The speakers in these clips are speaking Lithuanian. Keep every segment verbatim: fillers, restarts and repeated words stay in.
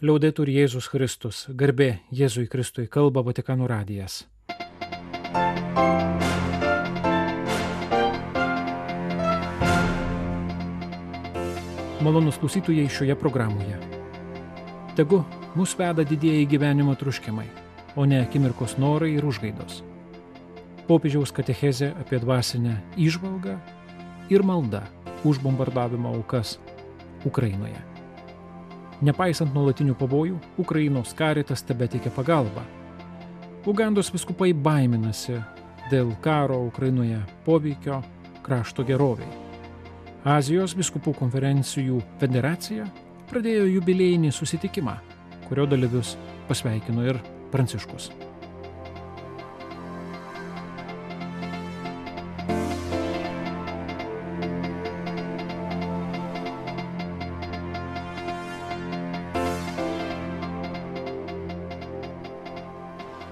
Liaudetur Jėzus Kristus, garbė Jėzui Kristui, kalba Vatikano radijas. Malonus klausytojai šioje programoje. Tegu mus veda didieji gyvenimo troškimai, o ne akimirkos norai ir užgaidos. Popiežiaus katechezė apie dvasinę įžvalgą ir malda už bombardavimo aukas Ukrainoje. Nepaisant nuolatinių pavojų, Ukrainos Caritas tebeteikia pagalbą. Ugandos vyskupai baiminasi dėl karo Ukrainoje poveikio krašto geroviai. Azijos vyskupų konferencijų federacija pradėjo jubiliejinį susitikimą, kurio dalyvius pasveikino ir Pranciškus.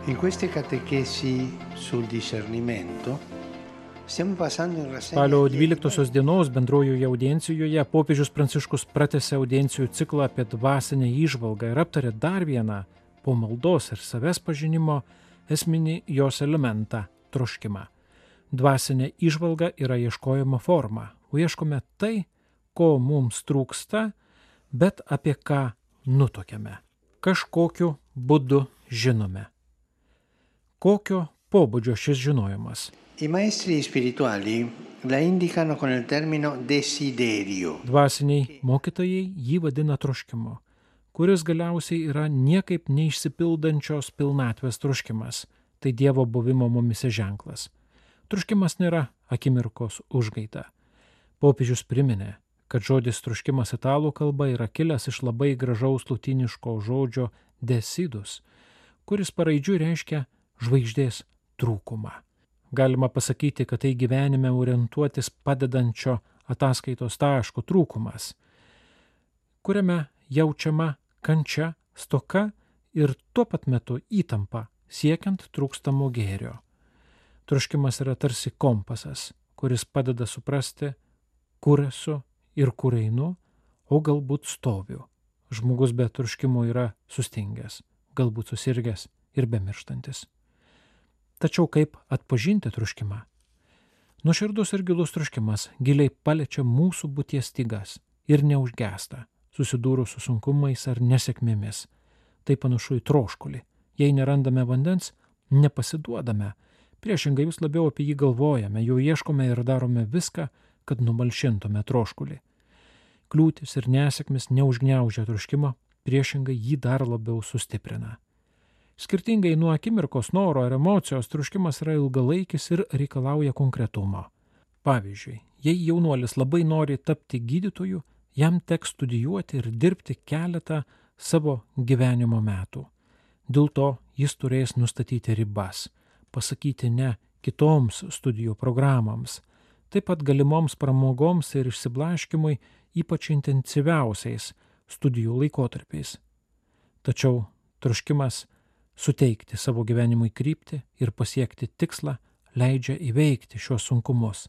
In queste catechesi sul discernimento stiamo passando in rassegna. Spalio dvyliktosios dienos bendrojoje audiencijoje popiežius Pranciškus pratęsė audiencijų ciklą apie dvasinę įžvalgą ir aptarė dar vieną po maldos ir savęs pažinimo esminį jos elementą – troškimą. Dvasinė įžvalga yra ieškojimo forma, o ieškome tai, ko mums trūksta, bet apie ką nutuokiame. Kažkokiu būdu žinome. Kokio pobūdžio šis žinojimas? I maestri spirituali la indicano con il termino desiderio. Dvasiniai mokytojai jį vadina troškimu, kuris galiausiai yra niekaip neišsipildančios pilnatvės troškimas, tai Dievo buvimo mumise ženklas. Troškimas nėra akimirkos užgaida. Popiežius priminė, kad žodis troškimas italų kalba yra kilęs iš labai gražaus lotyniško žodžio desidus, kuris paraidžiui reiškia žvaigždės trūkumą. Galima pasakyti, kad tai gyvenime orientuotis padedančio ataskaitos taško trūkumas, kuriame jaučiama kančia, stoka ir tuo pat metu įtampa siekiant trūkstamo gėrio. Troškimas yra tarsi kompasas, kuris padeda suprasti, kur esu ir kur einu, o galbūt stoviu. Žmogus be troškimo yra sustingęs, galbūt susirgęs ir bemirštantis. Tačiau kaip atpažinti troškimą? Nuoširdus ir gilus troškimas giliai paliečia mūsų būties stygas ir neužgęsta, susidūrus su sunkumais ar nesėkmėmis. Tai panašu į troškulį. Jei nerandame vandens, nepasiduodame. Priešingai vis labiau apie jį galvojame, jo ieškome ir darome viską, kad numalšintume troškulį. Kliūtis ir nesėkmės neužgniaužia troškimo, priešingai jį dar labiau sustiprina. Skirtingai nuo akimirkos noro ar emocijos, troškimas yra ilgalaikis ir reikalauja konkretumo. Pavyzdžiui, jei jaunuolis labai nori tapti gydytoju, jam teks studijuoti ir dirbti keletą savo gyvenimo metų. Dėl to jis turės nustatyti ribas, pasakyti ne kitoms studijų programoms, taip pat galimoms pramogoms ir išsiblaškimui ypač intensyviausiais studijų laikotarpiais. Tačiau troškimas suteikti savo gyvenimui kryptį ir pasiekti tikslą leidžia įveikti šios sunkumus.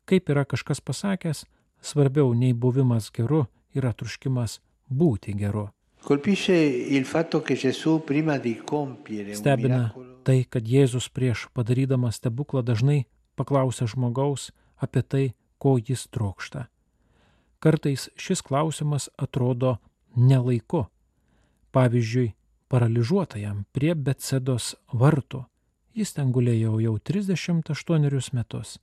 Kaip yra kažkas pasakęs, svarbiau nei buvimas geru yra troškimas būti geru. Stebina tai, kad Jėzus prieš padarydamas stebuklą dažnai paklausia žmogaus apie tai, ko jis trokšta. Kartais šis klausimas atrodo nelaiku. Pavyzdžiui, paralyžiuotajam prie Betsedos vartų. Jis ten gulėjo jau trisdešimt aštuonerius metus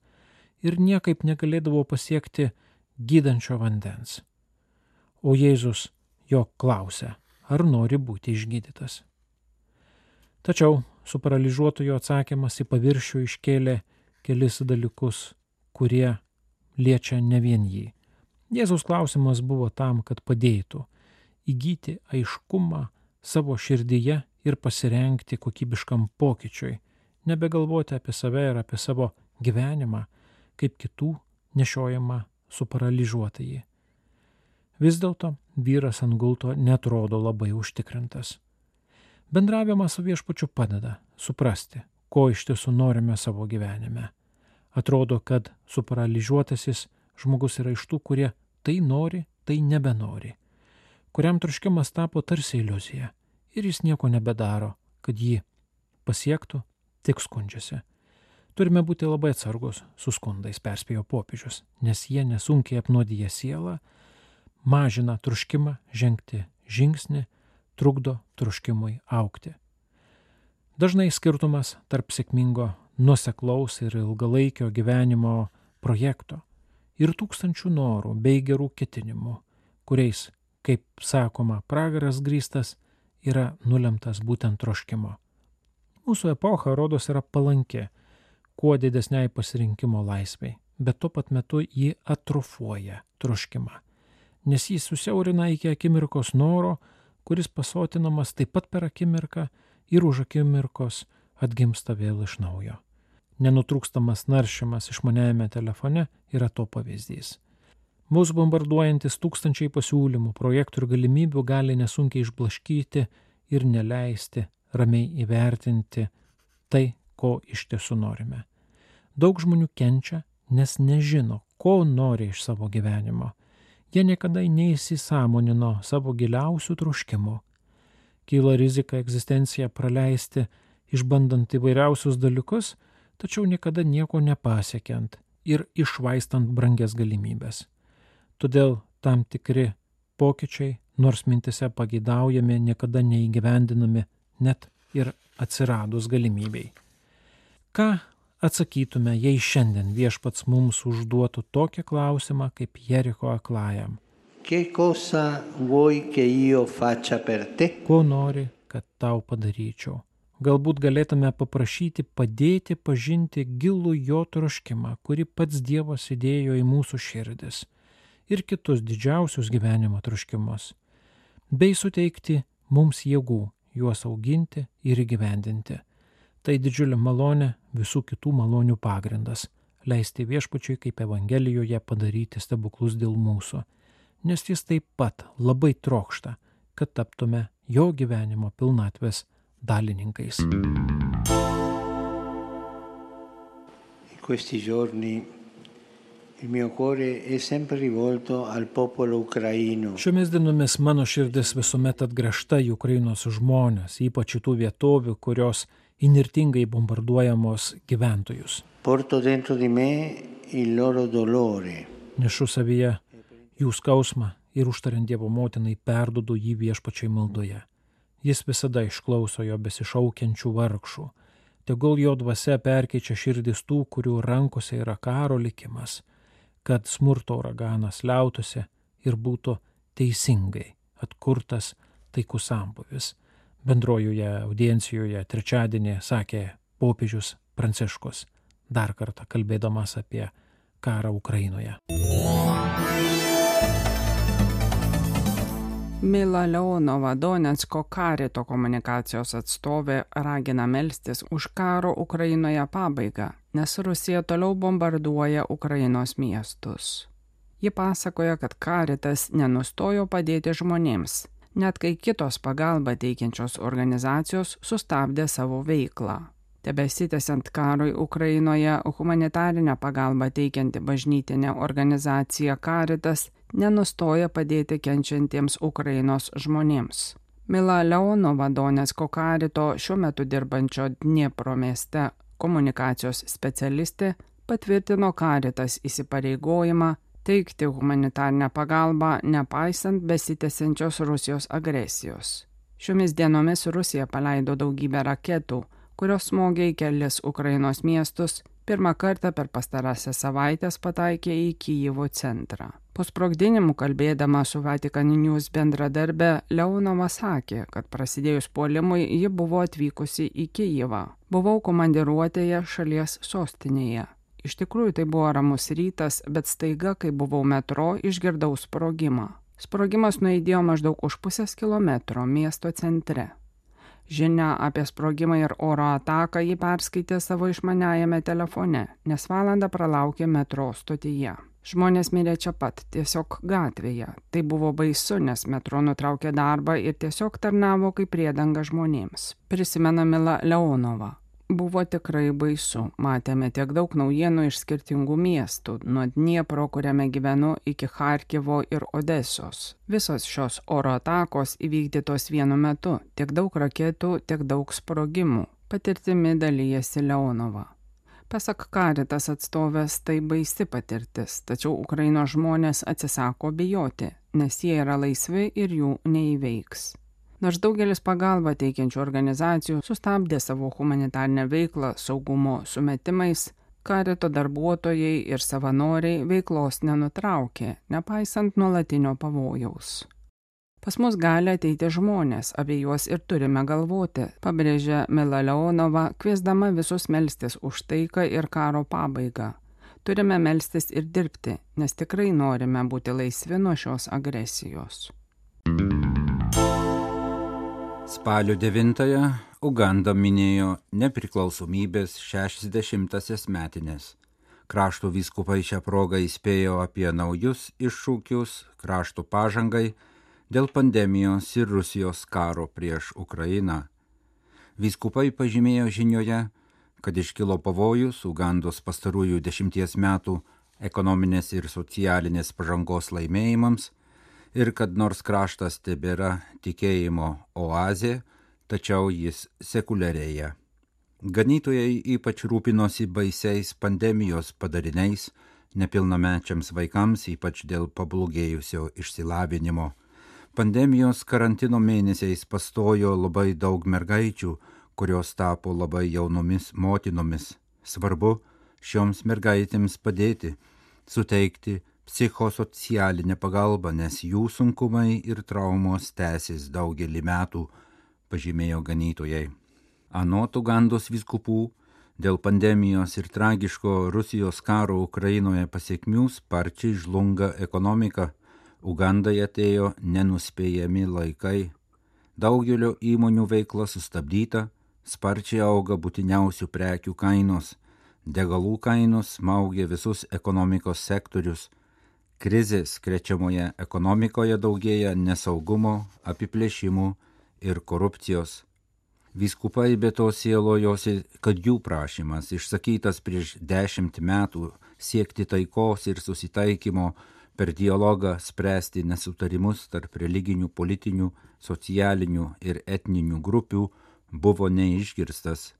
ir niekaip negalėdavo pasiekti gydančio vandens. O Jėzus jo klausia, ar nori būti išgydytas. Tačiau su paralyžiuotojo atsakymas į paviršių iškėlė kelis dalykus, kurie liečia ne vien jį. Jėzaus klausimas buvo tam, kad padėtų įgyti aiškumą savo širdyje ir pasirengti kokybiškam pokyčiui, nebegalvoti apie save ir apie savo gyvenimą, kaip kitų nešiojama suparalyžiuotąjį. Vis dėlto vyras ant gulto netrodo labai užtikrintas. Bendravimas su viešpačiu padeda suprasti, ko iš tiesų norime savo gyvenime. Atrodo, kad suparalyžiuotasis žmogus yra iš tų, kurie tai nori, tai nebenori. kuriam troškimas tapo tarsi iliuzija ir jis nieko nebedaro, kad jį pasiektų, tik skundžiasi. Turime būti labai atsargus su skundais, perspėjo popiežius, nes jie nesunkiai apnuodija sielą, mažina troškimą žengti žingsnį, trukdo troškimui augti. Dažnai skirtumas tarp sėkmingo, nuoseklaus ir ilgalaikio gyvenimo projekto ir tūkstančių norų bei gerų ketinimų, kuriais, kaip sakoma, pragaras grįstas, yra nulemtas būtent troškimo. Mūsų epocha, rodos, yra palanki kuo didesniai pasirinkimo laisvei, bet tuo pat metu jį atrofuoja troškimą, nes jis susiaurina iki akimirkos noro, kuris pasotinamas taip pat per akimirką ir už akimirkos atgimsta vėl iš naujo. Nenutrūkstamas naršymas išmaniajame telefone yra to pavyzdys. Mūsų bombarduojantis tūkstančiai pasiūlymų, projektų ir galimybių gali nesunkiai išblaškyti ir neleisti ramiai įvertinti tai, ko iš tiesų norime. Daug žmonių kenčia, nes nežino, ko nori iš savo gyvenimo. Jie niekada neįsisąmonino savo giliausių troškimų. Kyla rizika egzistenciją praleisti, išbandant įvairiausius dalykus, tačiau niekada nieko nepasiekiant ir išvaistant brangias galimybės. Todėl tam tikri pokyčiai, nors mintise pageidaujami, niekada neįgyvendinami, net ir atsiradus galimybei. Ką atsakytume, jei šiandien viešpats mums užduotų tokį klausimą kaip Jericho aklajam? Che cosa vuoi che io faccia per te? Ko nori, kad tau padaryčiau? Galbūt galėtume paprašyti padėti pažinti gilų jo troškimą, kurį pats Dievas įdėjo į mūsų širdis ir kitus didžiausius gyvenimo troškimus, bei suteikti mums jėgų juos auginti ir įgyvendinti. Tai didžiulė malonė, visų kitų malonių pagrindas, leisti viešpačiui kaip Evangelijoje padaryti stebuklus dėl mūsų, nes jis taip pat labai trokšta, kad taptume jo gyvenimo pilnatvės dalininkais. In questi giorni il mio cuore è sempre rivolto al popolo ucraino. Šiomis dienomis mano širdis visuomet atgręžta į Ukrainos žmones, ypač į tų vietovių, kurios inirtingai bombarduojamos gyventojus. Porto dentro di me il loro dolore. Nešu savyje jų skausmą ir užtariant Dievo motinai perduodu jį viešpačiai maldoje. Jis visada išklauso jo besišaukiančių vargšų. Tegul jo dvasia perkeičia širdis tų, kurių rankose yra karo likimas, kad smurto uraganas liautųsi ir būtų teisingai atkurtas taikus sambūvis. Bendrojoje audiencijoje trečiadienį sakė popiežius Pranciškus, dar kartą kalbėdamas apie karą Ukrainoje. Mila Leonova, Donecko karito komunikacijos atstovė, ragina melstis už karo Ukrainoje pabaigą, nes Rusija toliau bombarduoja Ukrainos miestus. Ji pasakoja, kad karitas nenustojo padėti žmonėms, net kai kitos pagalbą teikiančios organizacijos sustabdė savo veiklą. Tebesitęsiant karui Ukrainoje, humanitarinę pagalbą teikianti bažnytinė organizacija Karitas nenustoja padėti kenčiantiems Ukrainos žmonėms. Mila Leonova, Donecko karito šiuo metu dirbančio Dniepro mieste komunikacijos specialistė, patvirtino Karitas įsipareigojimą teikti humanitarinę pagalbą nepaisant besitęsiančios Rusijos agresijos. Šiomis dienomis Rusija paleido daugybę raketų, kurios smogė į kelis Ukrainos miestus, pirmą kartą per pastarąsias savaitės pataikė į Kijevo centrą. Po sprogdinimų kalbėdama su Vatican News bendradarbė, Leonova sakė, kad prasidėjus puolimui ji buvo atvykusi į Kijevą. Buvau komandiruotėje šalies sostinėje. Iš tikrųjų tai buvo ramus rytas, bet staiga, kai buvau metro, išgirdau sprogimą. Sprogimas nuaidėjo maždaug už pusės kilometro miesto centre. Žinia apie sprogimą ir oro ataką ji perskaitė savo išmaniajame telefone, nes valandą pralaukė metro stotyje. Žmonės mirė čia pat, tiesiog gatvėje. Tai buvo baisu, nes metro nutraukė darbą ir tiesiog tarnavo kaip priedanga žmonėms. Prisimena Mila Leonova. Buvo tikrai baisu. Matėme tiek daug naujienų iš skirtingų miestų, nuo Dniepro, kuriame gyvenu, iki Charkivo ir Odesos. Visos šios oro atakos įvykdytos vienu metu, tiek daug raketų, tiek daug sprogimų. Patirtimi dalyjasi Leonova. Pasak Caritas atstovės, tai baisi patirtis, tačiau Ukrainos žmonės atsisako bijoti, nes jie yra laisvi ir jų neįveiks. Nors daugelis pagalbą teikiančių organizacijų sustabdė savo humanitarinę veiklą saugumo sumetimais, Carito darbuotojai ir savanoriai veiklos nenutraukė, nepaisant nuolatinio pavojaus. Pas mus gali ateiti žmonės, apie juos ir turime galvoti, pabrėžia Mila Leonova, kviesdama visus melstis už taiką ir karo pabaigą. Turime melstis ir dirbti, nes tikrai norime būti laisvi nuo šios agresijos. Spalio devintąją Uganda minėjo nepriklausomybės šešiasdešimtąsias metines. Krašto vyskupai šią progą įspėjo apie naujus iššūkius krašto pažangai dėl pandemijos ir Rusijos karo prieš Ukrainą. Vyskupai pažymėjo žinioje, kad iškilo pavojus Ugandos pastarųjų dešimties metų ekonominės ir socialinės pažangos laimėjimams, ir kad nors kraštas tebėra tikėjimo oazė, tačiau jis sekuliarėja. Ganytojai ypač rūpinosi baisiais pandemijos padariniais nepilnamečiams vaikams, ypač dėl pablogėjusio išsilavinimo. Pandemijos karantino mėnesiais pastojo labai daug mergaičių, kurios tapo labai jaunomis motinomis. Svarbu šioms mergaitėms padėti, suteikti psichosocialinę pagalbą, nes jų sunkumai ir traumos tęsis daugelį metų, pažymėjo ganytojai. Anot Ugandos vyskupų, dėl pandemijos ir tragiško Rusijos karo Ukrainoje pasiekmių sparčiai žlunga ekonomika. Ugandai atėjo nenuspėjami laikai. Daugelio įmonių veikla sustabdyta, sparčiai auga būtiniausių prekių kainos, degalų kainos smaugia visus ekonomikos sektorius. Krizės krečiamoje ekonomikoje daugėja nesaugumo, apiplėšimų ir korupcijos. Vyskupai be to sielojosi, kad jų prašymas, išsakytas prieš dešimt metų, siekti taikos ir susitaikymo per dialogą spręsti nesutarimus tarp religinių, politinių, socialinių ir etninių grupių, buvo neišgirstas.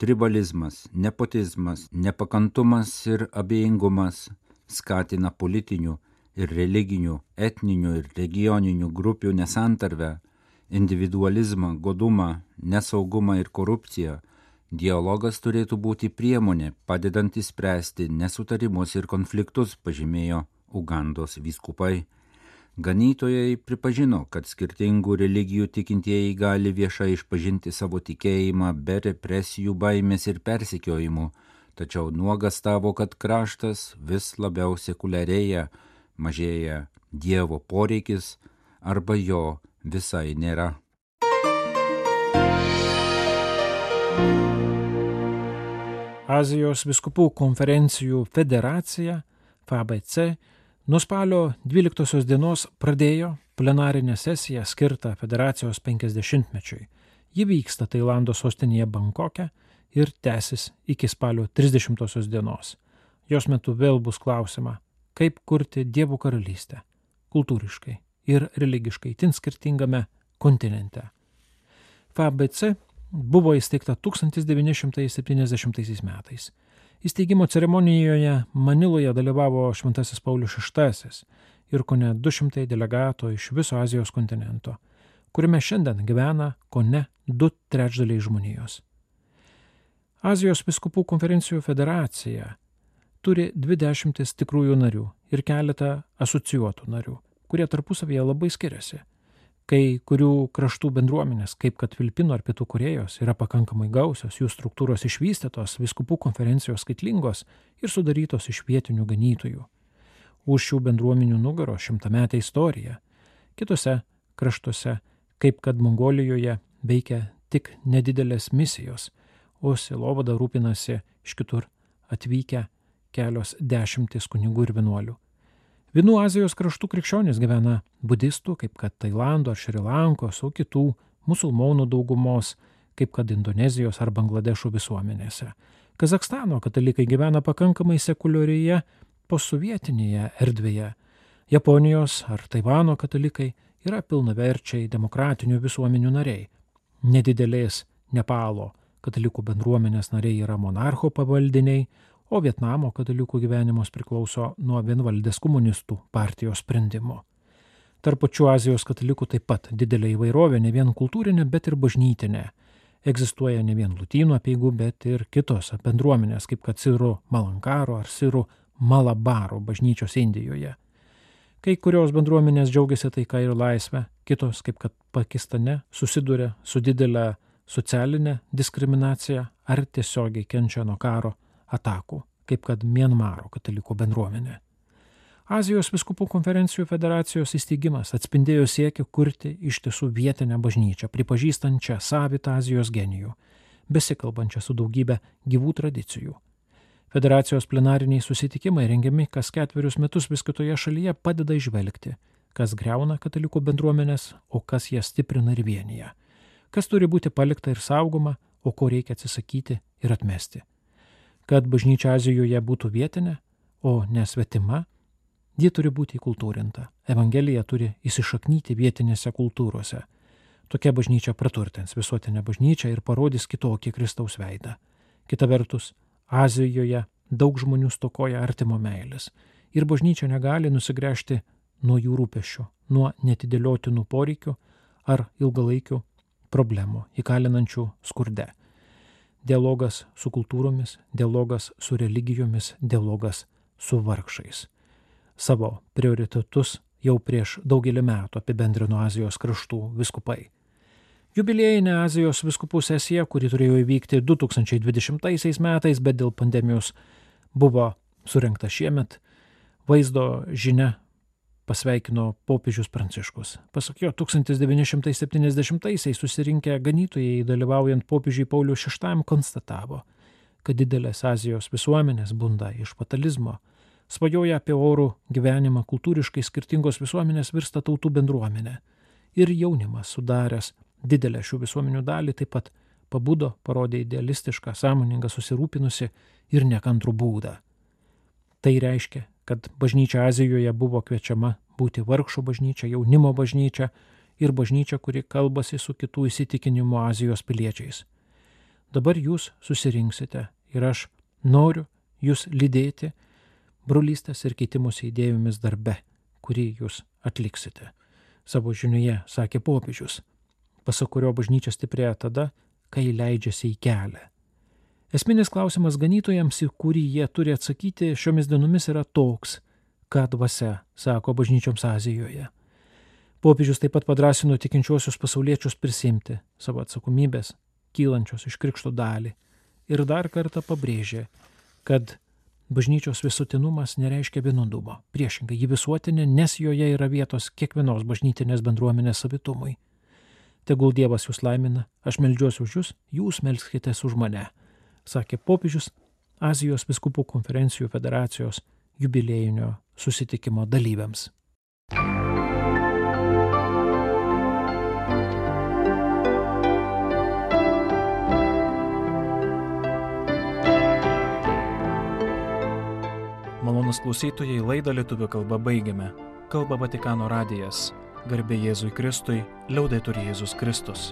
Tribalizmas, nepotizmas, nepakantumas ir abejingumas skatina politinių ir religinių, etninių ir regioninių grupių nesantarvę, individualizmą, godumą, nesaugumą ir korupciją. Dialogas turėtų būti priemonė, padedanti spręsti nesutarimus ir konfliktus, pažymėjo Ugandos vyskupai. Ganytojai pripažino, kad skirtingų religijų tikintieji gali viešai išpažinti savo tikėjimą be represijų, baimės ir persekiojimų, tačiau nuogastavo, kad kraštas vis labiau sekuliarėja, mažėja Dievo poreikis arba jo visai nėra. Azijos vyskupų konferencijų federacija F A B C nuo spalio dvyliktosios dienos pradėjo plenarinę sesiją skirtą federacijos penkiasdešimtmečiui. Ji vyksta Tailando sostinėje Bankoke ir tęsis iki spalio trisdešimtosios dienos. Jos metu vėl bus klausima, kaip kurti Dievo karalystę kultūriškai ir religiškai tin skirtingame kontinente. F A B C buvo įsteigta tūkstantis devyni šimtai septyniasdešimtaisiais metais. Įsteigimo ceremonijoje Maniloje dalyvavo Šventasis Paulius šeštasis ir kone du šimtai delegatų iš viso Azijos kontinento, kuriame šiandien gyvena kone du trečdaliai žmonijos. Azijos vyskupų konferencijų federacija turi dvidešimtis tikrųjų narių ir keletą asocijuotų narių, kurie tarpusavyje labai skiriasi. Kai kurių kraštų bendruomenės, kaip kad Filipinų ar Pietų Korėjos, yra pakankamai gausios, jų struktūros išvystytos, vyskupų konferencijos skaitlingos ir sudarytos iš vietinių ganytojų. Už šių bendruomenių nugaro šimtametė istorija. Kitose kraštuose, kaip kad Mongolijoje, veikia tik nedidelės misijos, o sielovada rūpinasi iš kitur atvykę kelios dešimtys kunigų ir vienuolių. Vienų Azijos kraštų krikščionys gyvena budistų, kaip kad Tailando ar Šri Lankos, o kitų musulmonų daugumos, kaip kad Indonezijos ar Bangladešo visuomenėse. Kazachstano katalikai gyvena pakankamai sekuliarioje posovietinėje erdvėje. Japonijos ar Taivano katalikai yra pilnaverčiai demokratinių visuomenių nariai. Nedidelės Nepalo katalikų bendruomenės nariai yra monarcho pavaldiniai, o Vietnamo katalikų gyvenimas priklauso nuo vienvaldės komunistų partijos sprendimo. Tarp pačių Azijos katalikų taip pat didelė įvairovė, ne vien kultūrinė, bet ir bažnytinė. Egzistuoja ne vien lutynų apeigų, bet ir kitos bendruomenės, kaip kad Sirų Malankaro ar Sirų Malabaro bažnyčios Indijoje. Kai kurios bendruomenės džiaugiasi taika ir laisvę, kitos, kaip kad Pakistane, susiduria su didelė socialinė diskriminacija ar tiesiogiai kenčia nuo karo atakų, kaip kad Mianmaro katalikų bendruomenė. Azijos vyskupų konferencijų federacijos įsteigimas atspindėjo siekį kurti iš tiesų vietinę bažnyčią, pripažįstančią savitą Azijos genijų, besikalbančią su daugybė gyvų tradicijų. Federacijos plenariniai susitikimai rengiami kas ketverius metus vis kitoje šalyje padeda išvelgti, kas greuna katalikų bendruomenės, o kas jas stiprina ir vienyje, kas turi būti palikta ir saugoma, o ko reikia atsisakyti ir atmesti. Kad bažnyčia Azijoje būtų vietinė, o ne svetima, ji turi būti įkultūrinta. Evangelija turi įsišaknyti vietinėse kultūrose. Tokia bažnyčia praturtins visuotinę bažnyčią ir parodys kitokį Kristaus veidą. Kita vertus, Azijoje daug žmonių stokoja artimo meilės ir bažnyčia negali nusigręžti nuo jų rūpesčių, nuo netidėliotinų poreikių ar ilgalaikių problemų įkalinančių skurde. Dialogas su kultūromis, dialogas su religijomis, dialogas su vargšais. Savo prioritetus jau prieš daugelį metų apibendrino Azijos kraštų vyskupai. Jubiliejinė Azijos vyskupų sesija, kuri turėjo įvykti du tūkstančiai dvidešimtaisiais metais, bet dėl pandemijos buvo surengta šiemet, vaizdo žinia pasveikino popiežius Pranciškus. Pasak jo, tūkstantis devyni šimtai septyniasdešimtaisiais susirinkę ganytojai dalyvaujant popiežiui Pauliui šeštajam konstatavo, kad didelės Azijos visuomenės bunda iš fatalizmo, svajoja apie orų gyvenimą, kultūriškai skirtingos visuomenės virsta tautų bendruomenė. Ir jaunimas sudaręs didelę šių visuomenių dalį taip pat pabudo, parodė idealistišką, sąmoningą, susirūpinusi ir nekantrų būdą. Tai reiškia, kad bažnyčia Azijoje buvo kviečiama būti vargšų bažnyčia, jaunimo bažnyčia ir bažnyčia, kuri kalbasi su kitų įsitikinimų Azijos piliečiais. Dabar jūs susirinksite ir aš noriu jūs lydėti brolystės ir keitimosi idėjomis darbe, kurį jūs atliksite. Savo žinioje sakė popiežius, pasak kurio bažnyčia stiprėja tada, kai leidžiasi į kelią. Esminis klausimas ganytojams, į kurį jie turi atsakyti šiomis dienomis, yra toks, ką dvasia sako bažnyčioms Azijoje. Popiežius taip pat padrasino tikinčiuosius pasauliečius prisimti savo atsakomybės, kylančios iš krikšto dalį, ir dar kartą pabrėžė, kad bažnyčios visuotinumas nereiškia vienudumo. Priešingai, ji visuotinė, nes joje yra vietos kiekvienos bažnytinės bendruomenės savitumui. Tegul Dievas jūs laimina, aš meldžiuosi už jūs, jūs melskitės už mane, sakė popiežius Azijos vyskupų konferencijų federacijos jubiliejinio susitikimo dalyviams. Malonūs klausytojai, laidą lietuvių kalba baigiame. Kalba Vatikano radijas. Garbė Jėzui Kristui, liaudetur Jėzus Kristus.